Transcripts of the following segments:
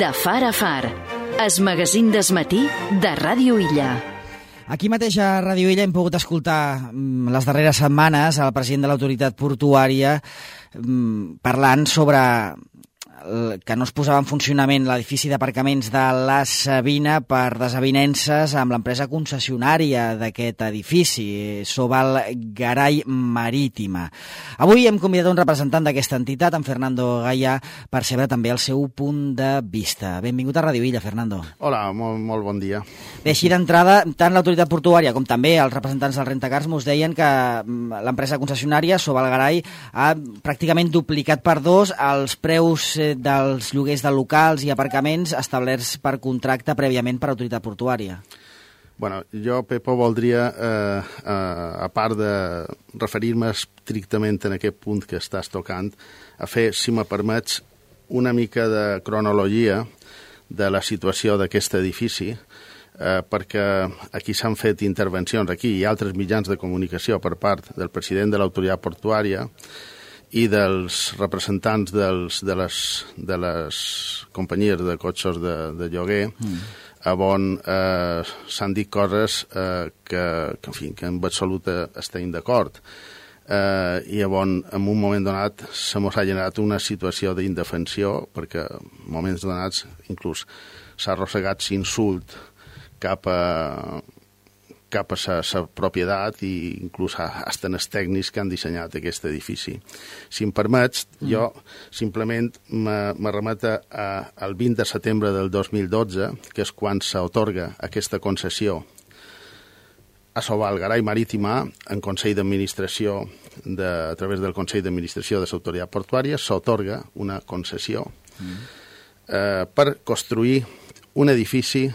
De far a far, es magazín desmatí de Ràdio Illa. Aquí mateix a Ràdio Illa hem pogut escoltar les darreres setmanes el president de l'autoritat portuària parlant sobre que no es posava en funcionament l'edifici d'aparcaments de la Sabina per desavinences amb l'empresa concessionària d'aquest edifici, Sobal Garay Marítima. Avui hem convidat un representant d'aquesta entitat, en Fernando Gaya, per saber també el seu punt de vista. Benvingut a Ràdio Illa, Fernando. Hola, molt bon dia. Bé, així d'entrada, tant l'autoritat portuària com també els representants del Rentacars mos deien que l'empresa concessionària, Sobal Garay, ha pràcticament duplicat per dos els preus dels lloguers de locals i aparcaments establerts per contracte prèviament per autoritat portuària. Bueno, jo, Pepo, voldria, a part de referir-me estrictament en aquest punt que estàs tocant, a fer, si me permets, una mica de cronologia de la situació d'aquest edifici, perquè aquí s'han fet intervencions, aquí i altres mitjans de comunicació per part del president de l'autoritat portuària i dels representants de les companyies de cotxes de lloguer, on s'han dit coses que en absolut estem d'acord. I on, en un moment donat, se mos ha generat una situació d'indefensió, perquè en moments donats inclús s'ha arrossegat l'insult cap a sa propietat i inclús fins els tècnics que han dissenyat aquest edifici. Si em permets, jo simplement me remeto al 20 de setembre del 2012, que és quan s'atorga aquesta concessió a Sobal Garay Marítima en Consell d'Administració, a través del Consell d'Administració de l'Autoritat Portuària, s'atorga una concessió per construir un edifici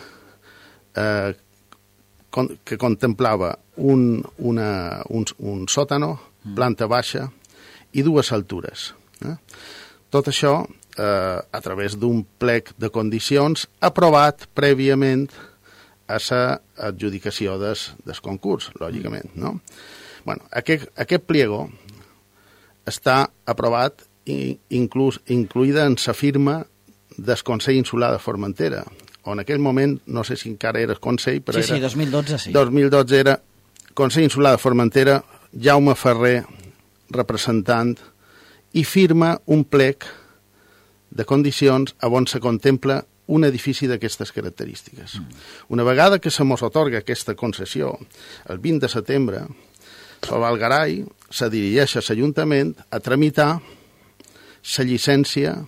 que contemplava un sòtano, planta baixa i dues altures. Tot això a través d'un plec de condicions aprovat prèviament a l'adjudicació del concurs, lògicament. Bueno, aquest pliego està aprovat incluïda en la firma del Consell Insular de Formentera, on en aquell moment, no sé si encara era el Consell, però sí, 2012, sí. 2012 era Consell Insular de Formentera, Jaume Ferrer, representant, i firma un plec de condicions on se contempla un edifici d'aquestes característiques. Una vegada que se mos atorga aquesta concessió, el 20 de setembre, Sobal Garay se dirigeix a l'Ajuntament a tramitar la llicència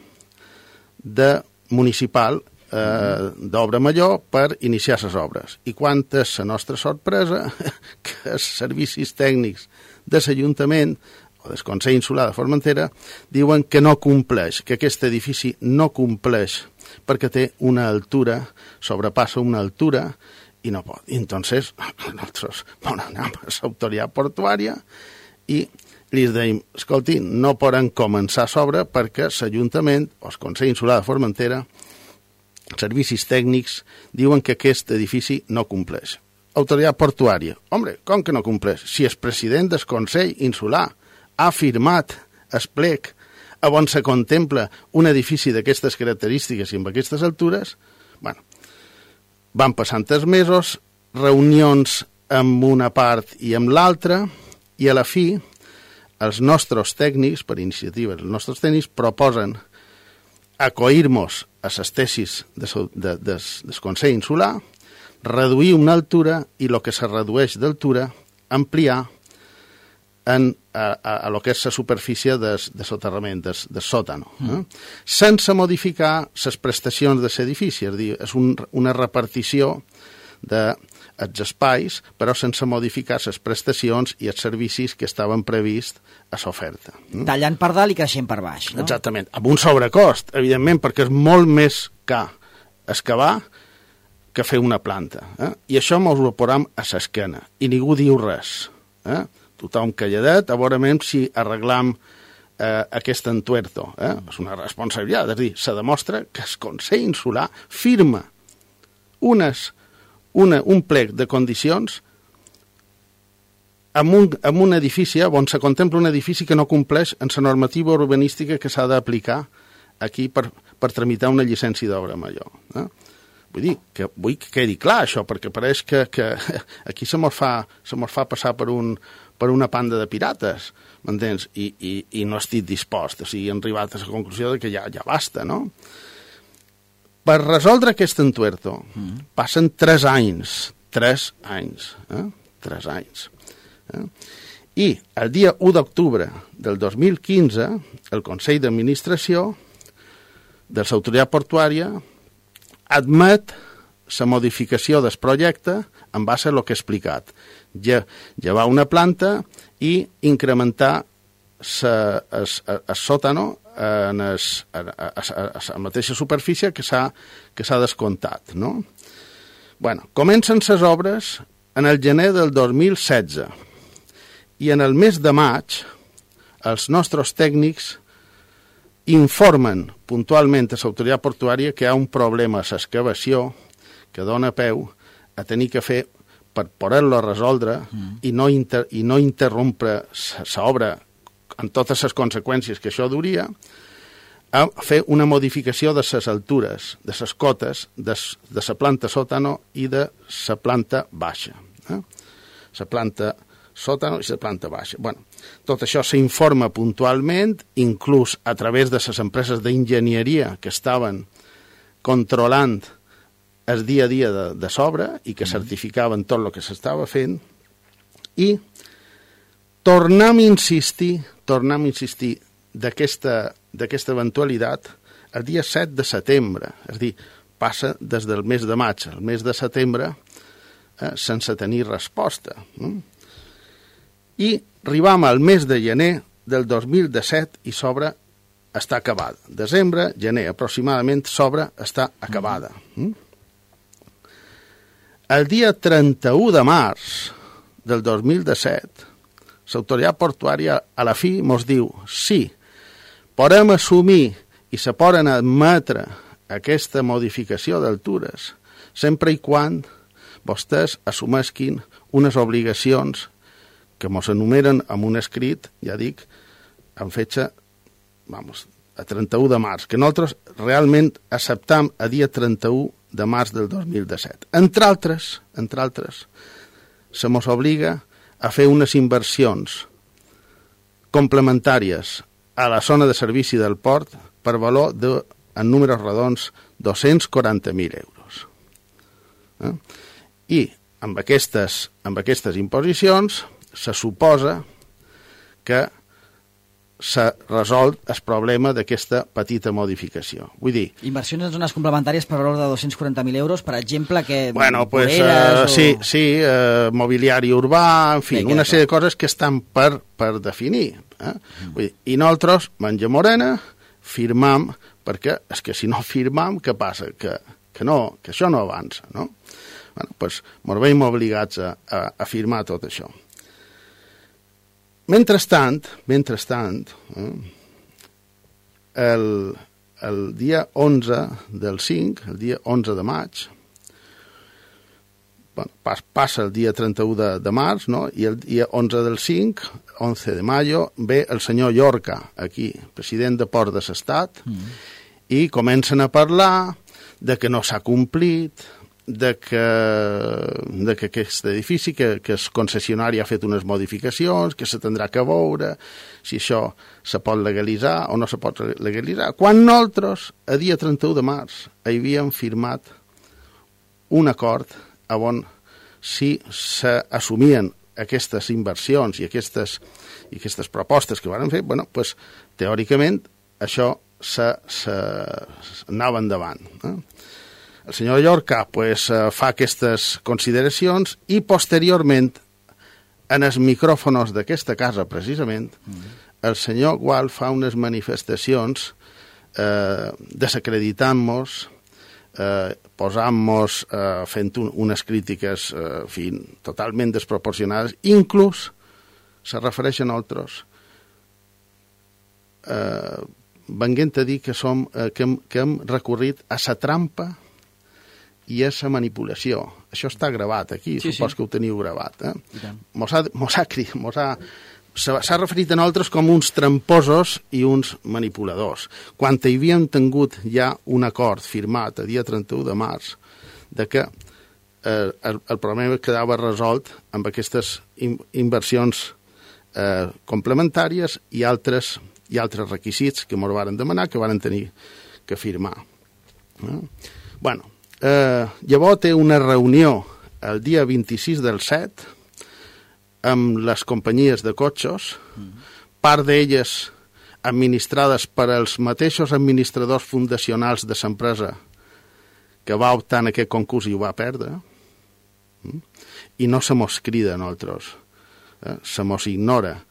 municipal d'obra major per iniciar les obres. I quan és la nostra sorpresa que els servicis tècnics de l'Ajuntament o del Consell Insular de Formentera diuen que no compleix, que aquest edifici no compleix perquè té una altura, sobrepassa una altura i no pot. I entonces nosaltres anem a l'autoritat portuària i li dèiem, escolti, no poden començar a sobre perquè l'Ajuntament o el Consell Insular de Formentera, servicis tècnics, diuen que aquest edifici no compleix. Autoritat portuària. Home, com que no compleix? Si el president del Consell Insular ha firmat el plec on se contempla un edifici d'aquestes característiques i amb aquestes altures, bueno, van passant els mesos, reunions amb una part i amb l'altra, i a la fi els nostres tècnics, per iniciativa, els nostres tècnics proposen acoir-nos a les tesis del Consell Insular, reduir una altura i el que se redueix d'altura ampliar a lo que és la superfície de soterrament, del sòtano, sense modificar les prestacions de l'edifici, és a dir, és una repartició dels espais, però sense modificar les prestacions i els servicis que estaven prevists a l'oferta. Tallant per dalt i creixent per baix, no? Exactament, amb un sobrecost, evidentment, perquè és molt més car excavar que fer una planta. I això mos ho posam a l'esquena, i ningú diu res. Tothom calladet, a veure si arreglam aquest entuerto. És una responsabilitat, és a dir, se demostra que el Consell Insular firma un plec de condicions amb un edifici on se contempla un edifici que no compleix en la normativa urbanística que s'ha d'aplicar aquí per tramitar una llicència d'obra major. Vull que quedi clar això, perquè pareix que aquí se mos fa passar per una panda de pirates, m'entens? I no estic dispost, o sigui, hem arribat a la conclusió que ja basta, no? Per resoldre aquest entuerto passen 3 anys. 3 anys. I el dia 1 d'octubre del 2015, el Consell d'Administració de l'Autoritat Portuària admet la modificació del projecte en base a el que he explicat. Llevar una planta i incrementar el sòtano a la mateixa superfície que s'ha descomptat, no? Bueno, comencen les obres en el gener del 2016 i en el mes de maig els nostres tècnics informen puntualment a l'autoritat portuària que hi ha un problema a l'excavació que dona peu a tenir que fer, per poder-lo resoldre i no interrompre l'obra amb totes les conseqüències que això duria, a fer una modificació de les altures, de les cotes, de la planta sòtano i de la planta baixa. La planta sòtano i la planta baixa. Bueno, tot això s'informa puntualment, inclús a través de les empreses d'enginyeria que estaven controlant el dia a dia de l'obra i que certificaven tot el que s'estava fent, i tornem a insistir d'aquesta eventualitat el dia 7 de setembre, és a dir, passa des del mes de maig al mes de setembre sense tenir resposta. I arribam al mes de gener del 2017 i l'obra està acabada. Desembre, gener, aproximadament, l'obra està acabada. El dia 31 de març del 2017, l'autoritat portuària a la fi ens diu sí, podem assumir i se poden admetre aquesta modificació d'altures sempre i quan vostès assumesquin unes obligacions que ens enumeren amb un escrit, ja dic, amb fetge a 31 de març, que nosaltres realment acceptam a dia 31 de març del 2017. Entre altres, se mos obliga a fer unes inversions complementàries a la zona de servici del port per valor de, en números redons, 240.000 euros. I amb aquestes imposicions se suposa que s'ha resolt el problema d'aquesta petita modificació. Vull dir... Inversions en zones complementàries per valor de 240.000 euros, per exemple, que... Bueno, pues, sí, mobiliari urbà, en fi, una sèrie de coses que estan per definir. Vull dir, i nosaltres, Manja Morena, firmam, perquè és que si no firmam, què passa? Que això no avança, no? Bueno, pues, ens veiem obligats a firmar tot això. Mentrestant, el dia 11 del 5, el dia 11 de maig, passa el dia 31 de març, no? I el dia 11 del 5, 11 de mayo, ve el senyor Llorca, aquí, president de Port de l'Estat, i comencen a parlar de que no s'ha complit, de que aquest edifici, que el concessionari ha fet unes modificacions, que se tindrà que veure si això se pot legalitzar o no se pot legalitzar. Quan nosaltres, a dia 31 de març, havíem firmat un acord on si s'assumien aquestes inversions i aquestes propostes que van fer, bueno, pues, teòricament això s'anava endavant. El senyor Llorca fa aquestes consideracions i posteriorment, en els micròfons d'aquesta casa, precisament, el senyor Gual fa unes manifestacions desacreditant-nos, posant-nos, fent unes crítiques totalment desproporcionades, inclús se refereix a nosaltres, venint a dir que hem recorrit a la trampa i a la manipulació. Això està gravat aquí, supos que ho teniu gravat. Mos ha s'ha referit a nosaltres com uns tramposos i uns manipuladors, quan hi havíem tingut ja un acord firmat a dia 31 de març de que el problema quedava resolt amb aquestes inversions complementàries i altres requisits que ens varen demanar, que varen tenir que firmar. Bueno, llavors té una reunió el dia 26 del 7 amb les companyies de cotxes, part d'elles administrades per els mateixos administradors fundacionals de l'empresa que va optar en aquest concurs i ho va perdre, i no se mos crida a nosaltres, se mos ignora.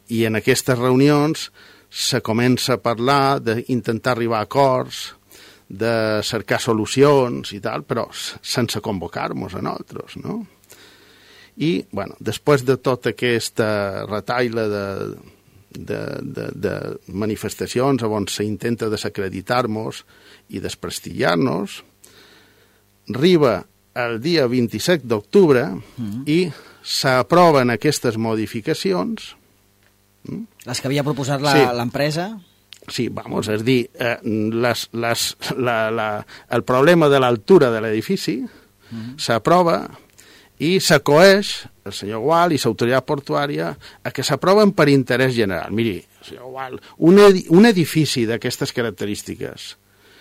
I en aquestes reunions se comença a parlar d'intentar arribar a acords, de cercar solucions i tal, però sense convocar-nos a nosaltres, no? I, bueno, després de tota aquesta retaila de manifestacions on s'intenta desacreditar-nos i desprestigiar-nos, arriba el dia 27 d'octubre i s'aproven aquestes modificacions. Les que havia proposat l'empresa? Sí, vamos, és dir, el problema de l'altura de l'edifici s'aprova i s'acoeix el senyor Gual i l'autoritat portuària a que s'aproven per interès general. Miri, senyor Gual, un edifici d'aquestes característiques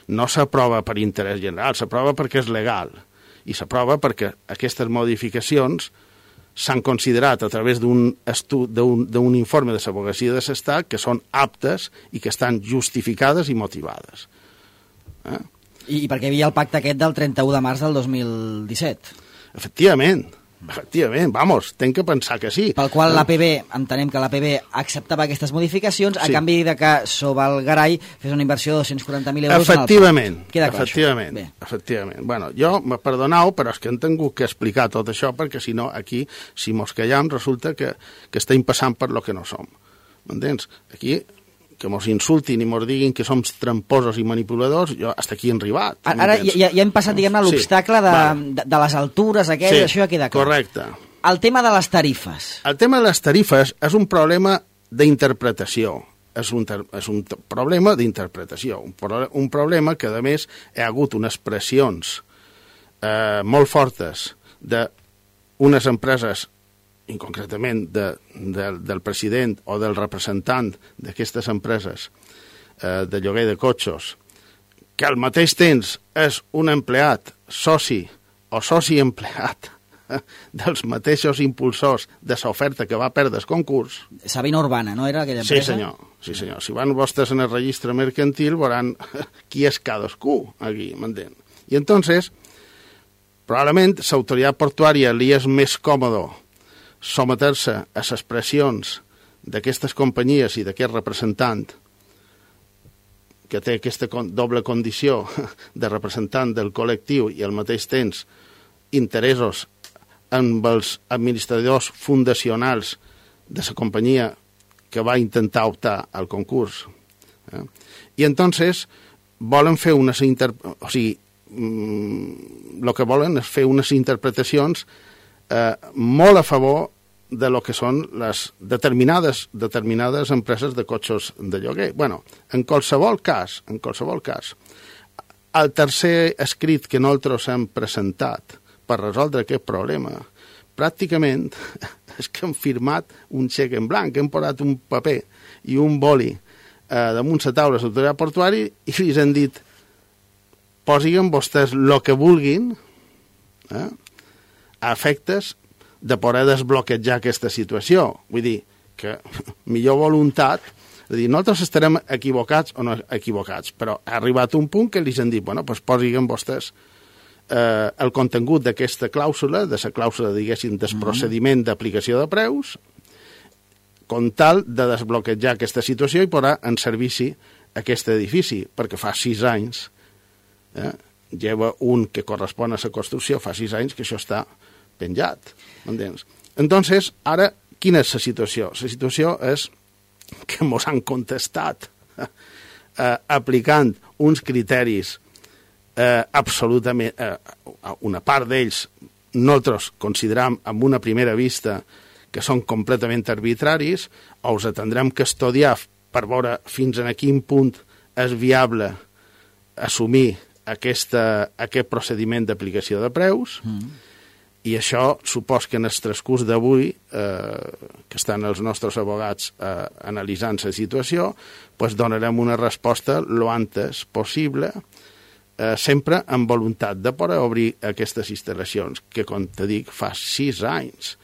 no s'aprova per interès general, s'aprova perquè és legal i s'aprova perquè aquestes modificacions s'han considerat a través d'un informe de l'advocacia de l'Estat que són aptes i que estan justificades i motivades. I perquè hi havia el pacte aquest del 31 de març del 2017. Efectivament, vamos, tenc que pensar que sí. Pel qual l'APB, entenem que l'APB acceptava aquestes modificacions a canvi de que Sobal Garay fes una inversió de 240.000 euros efectivament, en el Queda clar, efectivament. Bueno, jo, me perdoneu, però és que hem tingut que explicar tot això, perquè si no, aquí, si mos callam, resulta que estem passant per lo que no som. M'entens? Aquí, que mos insultin i mos diguin que som tramposos i manipuladors, jo hasta aquí he arribat. Ara ja hem passat, diguem-ne, l'obstacle de les altures aquelles, això ja queda clar. Correcte. El tema de les tarifes. El tema de les tarifes és un problema d'interpretació. És un problema d'interpretació. Un problema que, a més, hi ha hagut unes pressions molt fortes d'unes empreses i concretament del president o del representant d'aquestes empreses de lloguer de cotxes, que al mateix temps és un empleat soci o soci empleat dels mateixos impulsors de l'oferta que va perdre el concurs. Sabina Urbana, no era aquella empresa? Sí, senyor. Si van vostès en el registre mercantil veuran qui és cadascú aquí, m'entén? I entonces, probablement l'autoritat portuària li és més còmode someter-se a les pressions d'aquestes companyies i d'aquest representant que té aquesta doble condició de representant del col·lectiu i al mateix temps interessos amb els administradors fundacionals de la companyia que va intentar optar al concurs. I entonces volen fer unes el que volen és fer unes interpretacions molt a favor de lo que són les determinades empreses de cotxes de lloguer. Bueno, en qualsevol cas, el tercer escrit que nosaltres hem presentat per resoldre aquest problema, pràcticament és que hem firmat un xec en blanc, hem posat un paper i un boli damunt la taula de l'autoritat portuària i els hem dit posin vostès el que vulguin a efectes de poder desbloquejar aquesta situació. Vull dir, que millor voluntat, és a dir, nosaltres estarem equivocats o no equivocats, però ha arribat un punt que li han dit, bueno, doncs posin vostès el contingut d'aquesta clàusula, de la clàusula, diguéssim, del procediment d'aplicació de preus, com tal de desbloquejar aquesta situació i posar en servici aquest edifici, perquè fa 6 anys, lleva un que correspon a la construcció, fa 6 anys que això està penjat, m'entens? Entonces, ara, quina és la situació? La situació és que mos han contestat aplicant uns criteris absolutament... una part d'ells nosaltres consideram amb una primera vista que són completament arbitraris, o us tindrem que estudiar per veure fins a quin punt és viable assumir aquest procediment d'aplicació de preus, i això supos que en el transcurs d'avui, que estan els nostres abogats analitzant la situació, pues donarem una resposta lo antes possible, sempre amb voluntat de poder obrir aquestes instal·lacions, que, com te dic, fa 6 anys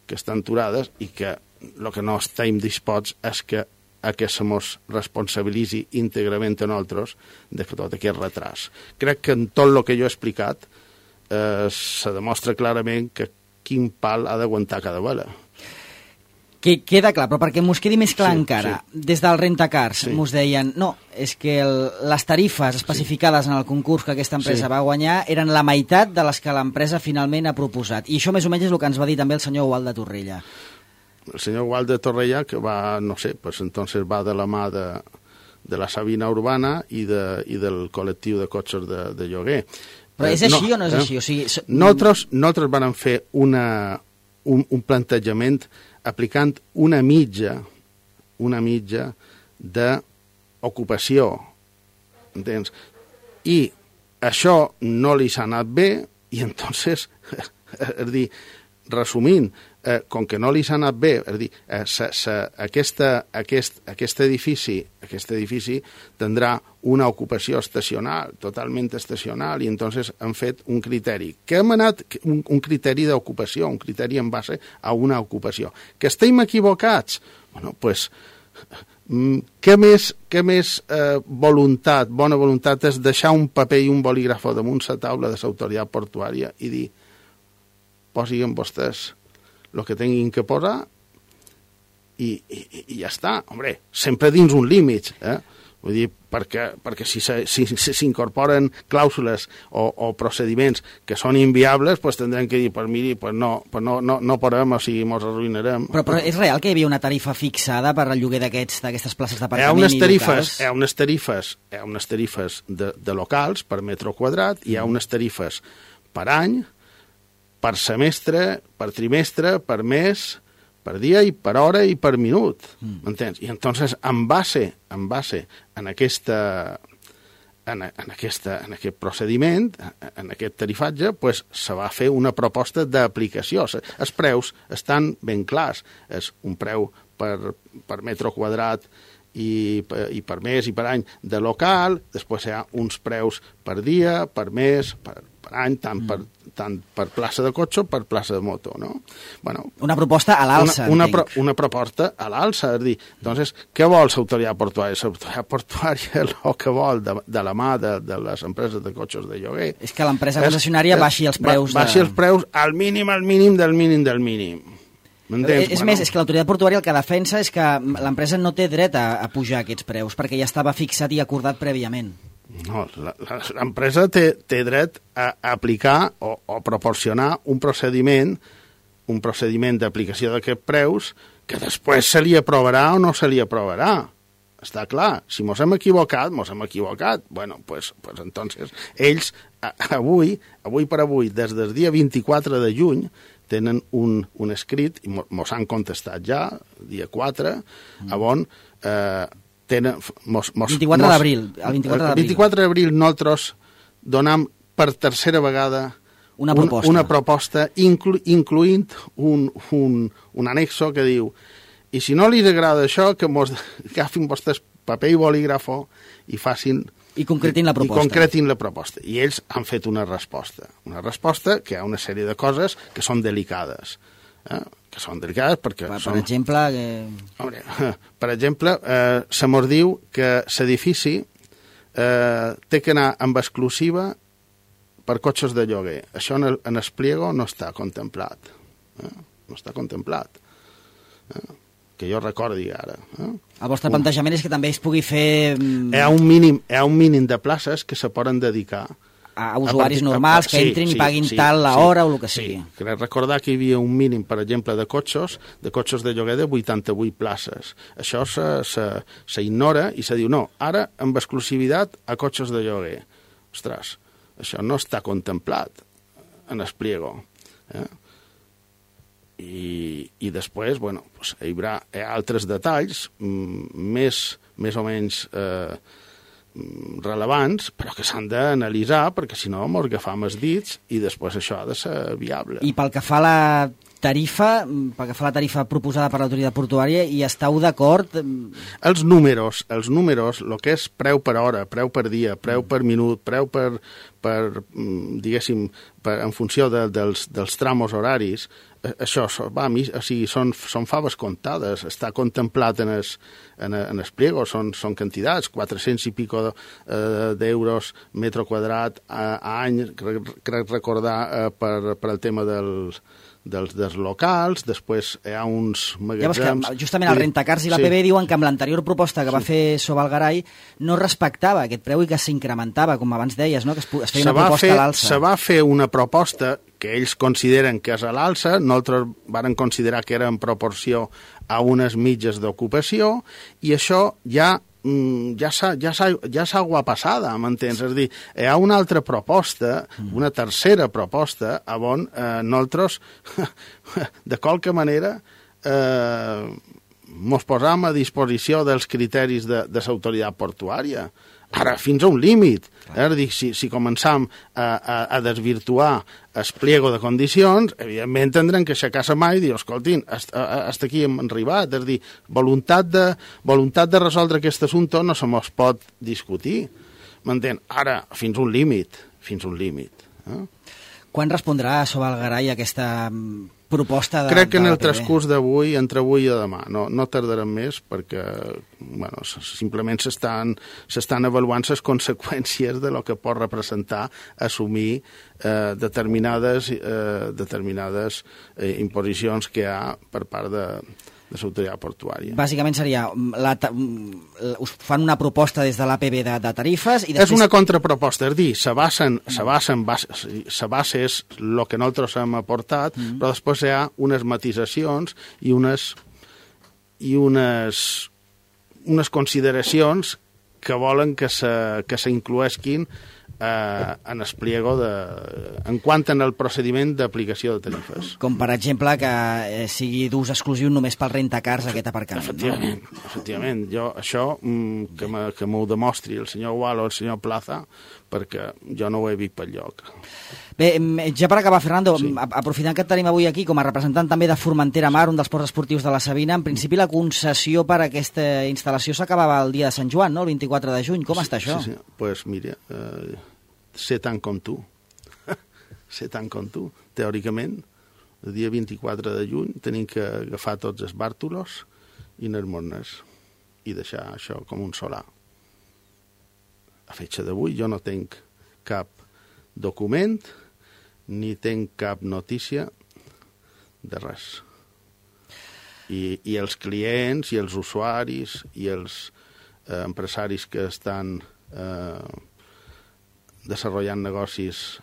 que estan aturades i que el que no estem disposts és que se mos responsabilitzi íntegrament a nosaltres de tot aquest retras. Crec que en tot el que jo he explicat se demostra clarament que quin pal ha d'aguantar cada vela. Queda clar, però perquè m'ho quedi més clar encara, des del Rentacars m'ho deien, no, és que les tarifes especificades en el concurs que aquesta empresa va guanyar eren la meitat de les que l'empresa finalment ha proposat. I això més o menys és el que ens va dir també el senyor Gual de Torrella. El senyor Gual de Torrella, que va, no sé, pues entonces va de la mà de la Sabina Urbana i del col·lectiu de cotxes de lloguer. Però és així o no és així? O sigui, nosaltres vam fer un plantejament aplicant una mitja d'ocupació, entens? I això no li s'ha anat bé, i entonces, és dir, resumint, com que no li s'ha anat bé, és dir, aquest edifici tindrà una ocupació estacional, totalment estacional, i entonces han fet un criteri. Què hem anat? Un criteri d'ocupació, un criteri en base a una ocupació. Que estem equivocats? Bueno, doncs, què més bona voluntat és deixar un paper i un bolígrafo damunt la taula de l'autoritat portuària i dir, posin vostès el que tinguin que posar i ja està. Hombre, sempre dins un límit, Vull dir, perquè si s'incorporen clàusules o procediments que són inviables, doncs tindrem que dir, pues miri, pues no podem, o sigui, ens arruïnarem. Però és real que hi havia una tarifa fixada per al lloguer d'aquestes places d'aparcament i locals? Hi ha unes tarifes de locals per metre quadrat, hi ha unes tarifes per any, per semestre, per trimestre, per mes, per dia i per hora i per minut, m'entens? I entonces, en base en aquest procediment, en aquest tarifatge, pues, se va fer una proposta d'aplicació. Els preus estan ben clars. És un preu per metre quadrat i per mes i per any de local, després hi ha uns preus per dia, per mes, per any, tant per plaça de cotxe o per plaça de moto, no? Bueno, una proposta a l'alça, una proposta a l'alça, és dir, doncs, què vol l'autoritat portuària? L'autoritat portuària el que vol de la mà de les empreses de cotxes de lloguer és que l'empresa concessionària baixi els preus. Baixi els preus al mínim del mínim. És més, és que l'autoritat portuària el que defensa és que l'empresa no té dret a pujar aquests preus, perquè ja estava fixat i acordat prèviament. No, l'empresa té dret a aplicar o proporcionar un procediment d'aplicació d'aquests preus que després se li aprovarà o no se li aprovarà. Està clar, si mos hem equivocat. Bueno, pues entonces, ells avui per avui, des del dia 24 de juny, tenen un escrit, i mos han contestat ja, dia 4, on... el 24 d'abril. El 24 d'abril nosaltres donem per tercera vegada una proposta incloent un anexo que diu, i si no li agrada això, que agafin vostès paper i bolígrafo i facin... I concretin la proposta. I ells han fet una resposta que hi ha una sèrie de coses que són delicades, que són delicades perquè per exemple... Per exemple, se mos diu que l'edifici té que anar amb exclusiva per cotxes de lloguer. Això en el pliego no està contemplat. No està contemplat. Que jo recordi ara. El vostre plantejament és que també es pugui fer... Hi ha un mínim de places que se poden dedicar a usuaris normals que entrin i paguin tal la hora o el que sigui. Crec recordar que hi havia un mínim, per exemple, de cotxes de lloguer de 88 places. Això s'ignora i se diu, no, ara amb exclusivitat a cotxes de lloguer. Ostres, això no està contemplat en el pliego. I després, bueno, pues, hi haurà altres detalls més o menys rellevants, però que s'han d'analitzar, perquè si no mos agafam els dits i després això ha de ser viable. I pel que fa a la tarifa proposada per l'autoritat portuària, hi esteu d'acord? Els números, el que és preu per hora, preu per dia, preu per minut, preu per diguéssim, en funció dels tramos horaris, això són faves comptades, està contemplat en el pliego, són quantitats, 400 i pico d'euros metre quadrat a any, crec recordar per el tema dels locals, després hi ha uns magatzems... Llavors que justament el Rentacars i l'APB diuen que amb l'anterior proposta que va fer Sovalgarai no respectava aquest preu i que s'incrementava, com abans deies, no? Que es feia una proposta a l'alça. Se va fer una proposta que ells consideren que és a l'alça, nosaltres vàrem considerar que era en proporció a unes mitges d'ocupació, i això ja s'ha guapassada, m'entens? És a dir, hi ha una altra proposta, una tercera proposta, on nosaltres, de qualque manera, mos posam a disposició dels criteris de l'autoritat portuària. Ara, fins a un límit. És a dir, si començam a desvirtuar el pliego de condicions, evidentment tindrem que aixecar la mà i dir, escoltin, hasta aquí hem arribat. És a dir, voluntat de resoldre aquest assumpte no se mos pot discutir. M'entén? Ara, fins a un límit. Quan respondrà Sovalgarai aquesta proposta de crec que en el transcurs d'avui, entre avui i demà, no tardarem més perquè bueno, simplement s'estan avaluant les conseqüències de lo que pot representar assumir determinades imposicions que hi ha per part de l'autoritat portuària. Bàsicament seria, us fan una proposta des de l'APB de tarifes i després... És una contraproposta, és dir, la base és el que nosaltres hem aportat, però després hi ha unes matisacions i unes consideracions que volen que s'incloesquin en el pliego en quant en el procediment d'aplicació de tarifes. Com per exemple que sigui d'ús exclusiu només pel Rentacars aquest aparcament. Efectivament. Jo això que m'ho demostri el senyor Gual o el senyor Plaza, perquè jo no ho he vist pel lloc. Bé, ja per acabar, Fernando, aprofitant que et tenim avui aquí com a representant també de Formentera Mar, un dels ports esportius de la Sabina, en principi la concessió per a aquesta instal·lació s'acabava el dia de Sant Joan, no? El 24 de juny. Com està això? Sí. Pues mira, sé tant com tu. Sé tant com tu. Teòricament, el dia 24 de juny tenim que agafar tots els bàrtulos i anar-nos i deixar això com un solar. A fetge d'avui jo no tinc cap document ni tinc cap notícia de res. I els clients i els usuaris i els empresaris que estan desenvolupant negocis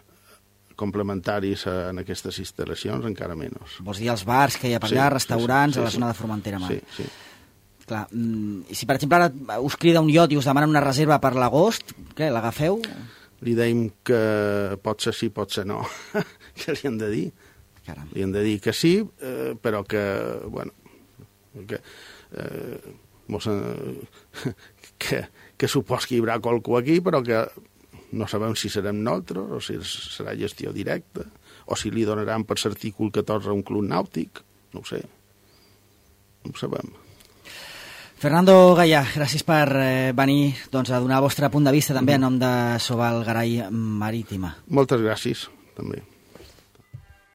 complementaris en aquestes instal·lacions encara menys. Vols dir els bars que hi ha per allà, restaurants, a la zona de Formentera Mar? Sí. Clar, i si per exemple ara us crida un iot i us demana una reserva per l'agost, què, l'agafeu? Li deim que pot ser sí, pot ser no. Què li han de dir? Caram. Li han de dir que sí, però que, bueno, que supos que hi haurà qualcú aquí, però que no sabem si serem nosaltres, o si serà gestió directa, o si li donaran per l'artícul 14 a un club nàutic, no ho sé. No ho sabem. Fernando Gaya, gràcies per venir a donar el vostre punt de vista també en nom de Sovalgarai Marítima. Moltes gràcies, també.